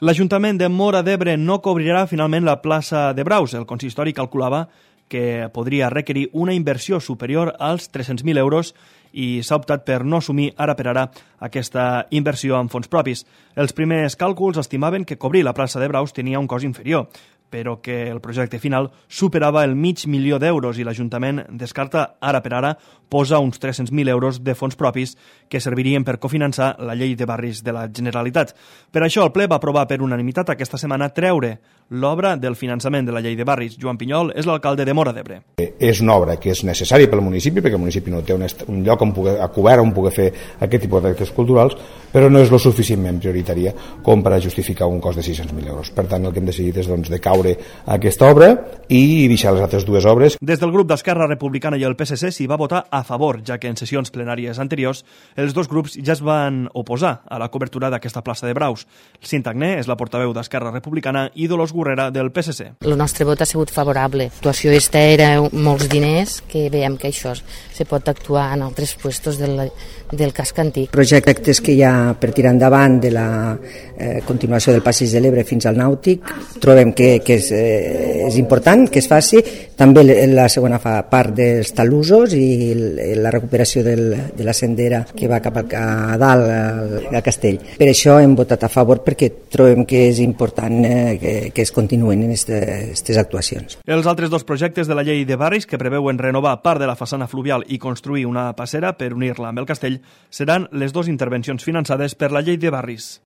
L'Ajuntament de Móra d'Ebre no cobrirà finalment la plaça de Braus. El consistori calculava que podria requerir una inversió superior als 300.000 euros i s'ha optat per no assumir ara per ara aquesta inversió amb fons propis. Els primers càlculs estimaven que cobrir la plaça de Braus tenia un cost inferior, però que el projecte final superava el $500.000 i l'Ajuntament descarta ara per ara posa uns 300.000 euros de fons propis que servirien per cofinançar la llei de barris de la Generalitat. Per això el ple va aprovar per unanimitat aquesta setmana treure l'obra del finançament de la llei de barris. Joan Pinyol és l'alcalde de Móra d'Ebre. És una obra que és necessària pel municipi, perquè el municipi no té un lloc cobert on poder fer aquest tipus d'actes culturals, però no és lo suficientment prioritària com per a justificar un cost de 600.000 euros. Per tant, el que hem decidit és de caure aquesta obra i deixar les altres dues obres. Des del grup d'Esquerra Republicana i el PSC s'hi va votar a favor, ja que en sessions plenàries anteriors els dos grups ja es van oposar a la cobertura d'aquesta plaça de Braus. Cinta Agné és la portaveu d'Esquerra Republicana i Dolors Gurrera del PSC. El nostre vot ha sigut favorable. L'actuació esta era molts diners, que veiem que això se pot actuar en altres puestos del casc antic. Projectes que hi ha per tirar endavant de la continuació del Passeig de l'Ebre fins al Nàutic, trobem que és important que es faci. També la segona part dels talussos i la recuperació de la sendera que va cap a dalt al castell. Per això hem votat a favor, perquè trobem que és important que es continuen en aquestes actuacions. Els altres dos projectes de la llei de barris, que preveuen renovar part de la façana fluvial i construir una passera per unir-la amb el castell, seran les dues intervencions finançades per la llei de barris.